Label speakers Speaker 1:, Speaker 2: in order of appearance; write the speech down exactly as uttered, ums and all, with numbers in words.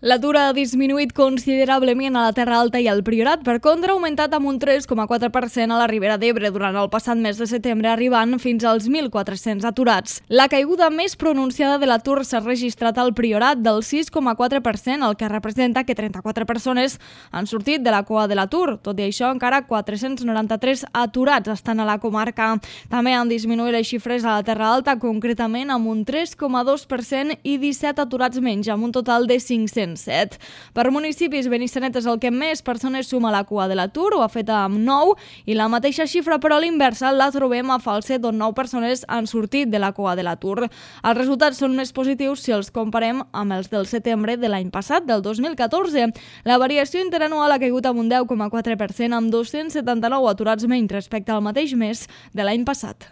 Speaker 1: L'atur ha disminuït considerablement a la Terra Alta i al Priorat, per contra ha augmentat amb un tres coma quatre per cent a la Ribera d'Ebre durant el passat mes de setembre, arribant fins als mil quatre-cents aturats. La caiguda més pronunciada de l'atur s'ha registrat al Priorat, del sis coma quatre per cent, el que representa que trenta-quatre persones han sortit de la cua de l'atur. Tot i això, encara quatre-cents noranta-tres aturats estan a la comarca. També han disminuït les xifres a la Terra Alta, concretament amb un tres coma dos per cent i disset aturats menys, amb un total de cinc-cents set. Per municipis, Benissanet és el que més persones suma a la cua de l'atur, ho ha fet amb nou, i la mateixa xifra, però a l'inversa, la trobem a Falset, on nou persones han sortit de la cua de l'atur. Els resultats són més positius si els comparem amb els del setembre de l'any passat, del dos mil catorze. La variació interanual ha caigut amb un deu coma quatre per cent, amb dos-cents setanta-nou aturats menys respecte al mateix mes de l'any passat.